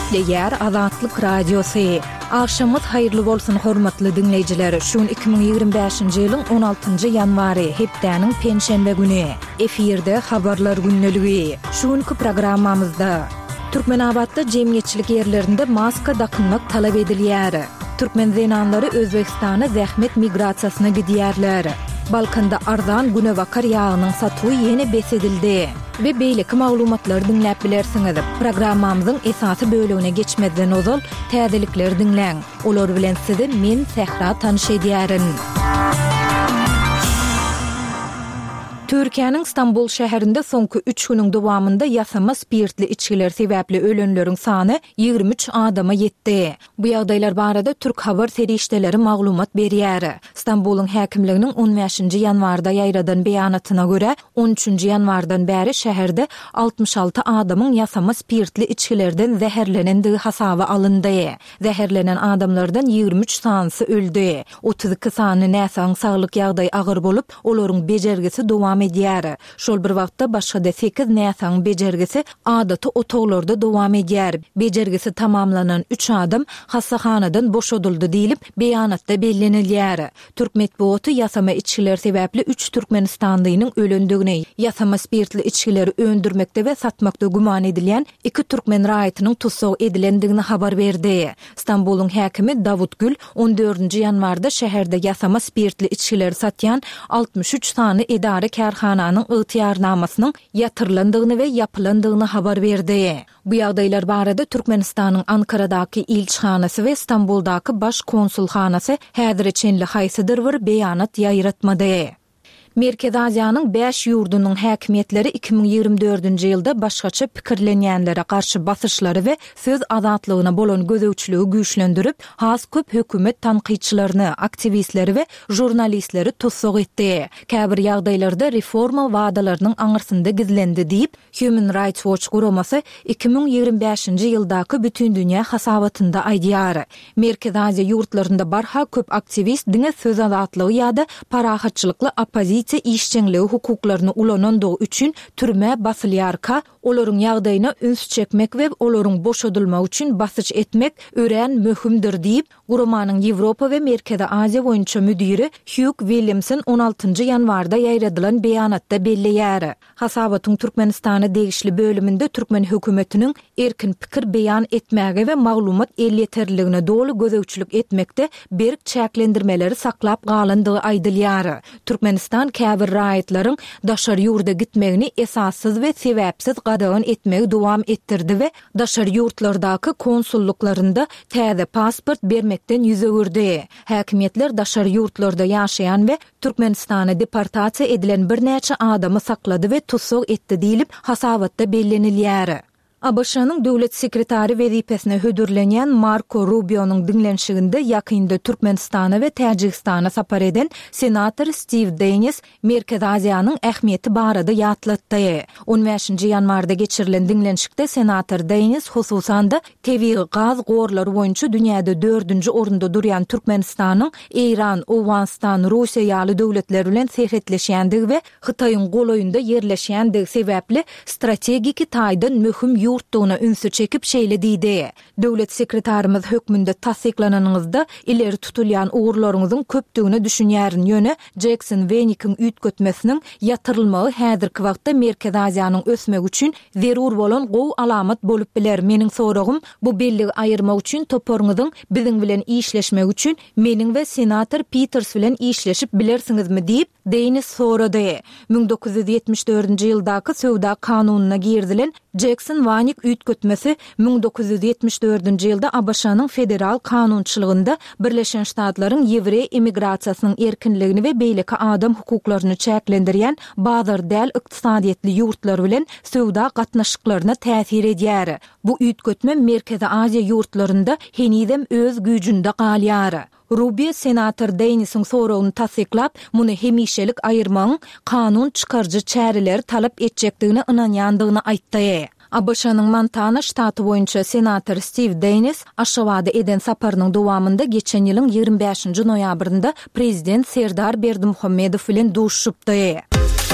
Gepleýär Azatlyk Radiosy. Agşamyňyz haýyrly bolsun hormatly diňleýjiler! Şu gün 2025-nji ýylyň on altynjy ýanwary, hepdäniň penşenbe güni. Efirde Habarlar gündeligi. Şu günki programmamyzda. Türkmenabatda jemgyýetçilik ýerlerinde maska dakynmak talap edilýär. Türkmen zenanlary Özbegistana zähmet migrasiýasyna gidýärler. Balkanda arzan günebakar ýagynyň satuwy ýene bes edildi. We beýleki maglumatlary diňläp bilersiňiz. Programmamyzyň esasy bölegine geçmezden ozal, täzelikleri diňläň. Olar bilen sizi men, Sähra tanyş edýärin. Türkiýäniň Stambul şäherinde soňky üç günüň dowamynda ýasama spirtli içgiler sebäpli ölenleriň sany 23 adama ýetdi. Bu ýagdaýlar barada türk habar serişdeleri maglumat berýär. Stambulyň häkimliginiň on bäşinji ýanwarda ýaýradan beýanatyna görä, on üçünji ýanwardan bäri şäherde 66 adamyň ýasama spirtli içgilerden zäherlenendigi hasaba alyndy. Zäherlenen adamlardan 23 sanysy öldi. 32 sany näsagyň saglyk ýagdaýy agyr bolup, olaryň bejergisi dowam edýär. Şol bir wagtda, başga-da sekiz näsagyň bejergisi adaty otaglarda dowam edýär. Bejergisi tamamlanan üç adam hassahanadan boşadyldy diýlip, beýanatda bellenilýär. Türk metbugaty ýasama içgiler sebäpli üç türkmenistanlynyň ölendigini, ýasama spirtli içgileri öndürmekde we satmakda güman edilýän iki türkmen raýatynyň tussag edilendigini habar berdi. Stambulyň häkimi Dawut Gül on dördünji ýanwarda şäherde ýasama spirtli içgileri satýan 63 sany edara-kärhananyň ygtyýarnamasynyň ýatyrylandygyny we ýapylandygyny habar berdi. Bu ýagdaýlar barada Türkmenistanyň Ankaradaky ilçihanasy we Stambuldaky Baş konsulhanasy häzire çenli haýsydyr bir beýanat ýaýratmady. Merkezi Aziýanyň bäş ýurdunyň häkimiýetleri 2024-nji ýylda başgaça pikirlenýänlere garşy basyşlary we söz azatlygyna bolan gözegçiligi güýçlendirip, has köp hökümet tankytçylaryny, aktiwistleri we žurnalistleri tussag etdi. Käbir ýagdaýlarda reforma wadalarynyň aňyrsynda gizlendi diýip, Human Rights Watch guramasy 2025-nji ýyldaky bütindünýä hasabatynda aýdýar. Merkezi Aziýa ýurtlarynda barha köp aktiwist diňe söz azatlygy ýa-da parahatçylykly oppozisiýa işjeňligi hukuklaryny ulanandygy üçin türmä basylýarka, olaryň ýagdaýyna üns çekmek we olaryň boşadylmagy üçin basyş etmek örän möhümdir diýip, guramanyň Ýewropa we Merkezi Aziýa boýunça müdiri Hýug Williamson on altynjy ýanwarda ýaýradylan beýanatda belleýär. Hasabatyň Türkmenistana degişli bölüminde türkmen hökümetiniň erkin pikir beýan etmäge we maglumat elýeterliligine doly gözegçilik etmekde berk çäklendirmeleri saklap galandygy aýdylýar. Türkmenistan käbir raýatlaryň daşary ýurda gitmegini esassyz we sebäpsiz gadagan etmegi dowam etdirdi we daşary ýurtlardaky konsullyklarynda täze pasport bermekden ýüz öwürdi. Häkimiýetler daşary ýurtlarda ýaşaýan we Türkmenistana deportasiýa edilen birnäçe adamy saklady we tussag etdi diýlip, hasabatda bellenilýär. ABŞ-nyň Döwlet sekretary wezipesine hödürlenýän Marko Rubionyň diňlenişiginde ýakynda Türkmenistana we Täjigistana sapar eden senator Stiw Deýnis Merkezi Aziýanyň ähmiýeti barada ýatlatdy. On bäşinji ýanwarda geçirilen diňlenişikde senator Deýnis hususan-da Tebigy gaz gorlary boýunça dünýäde dördünji orunda durýan Türkmenistanyň Eýran, Owganystan, Russiýa ýaly döwletler bilen serhetleşýändigi we Hytaýyň golaýynda ýerleşýändigi sebäpli strategiki taýdan möhüm ýurtdugyna ünsi çekip şeýle diýdi, Döwlet sekretarymyz hökmünde tassyklananyňyzda ileri tutulýan ugurlaryňyzyň köpdügine düşünýärin, ýöne Jekson-Wenikiň üýtgetmesiniň ýatyrylmagy häzirki wagtda Merkezi Aziýanyň ösmegi üçin zerur bolan gowy alamat bolup biler. Meniň soragym, bu belligi aýyrmak üçin toparyňyzyň biziň bilen işleşmegi üçin meniň we senator Piters bilen işleşip bilersiňizmi diýip, Deýnis sorady. 1974-nji ýyldaky söwda kanunyna girizilen Jekson-Wanik üýtgetmesi 1974-nji ýylda ABŞ-nyň federal kanunçylygynda Birleşen Ştatlaryň ýewreý emigrasiýasynyň erkinligini we beýleki adam hukuklaryny çäklendirýän bazar däl ykdysadyýetli ýurtlar bilen söwda gatnaşyklaryna täsir edýär. Bu üýtgetme Merkezi Aziýa ýurtlarynda henizem öz güýjünde galýar. Rubio senator Deýnisiň soragyny tassyklap, muny hemişelik aýyrmagyň kanun çykaryjy çäreleri talap etjekdigine ynanýandygyny aýtdy. ABŞ-nyň Montana ştaty boýunça senator Stiw Deýnis Aşgabada eden saparynyň dowamynda geçen ýylyň 25-nji noýabrynda prezident Serdar Berdimuhamedow bilen duşuşypdy.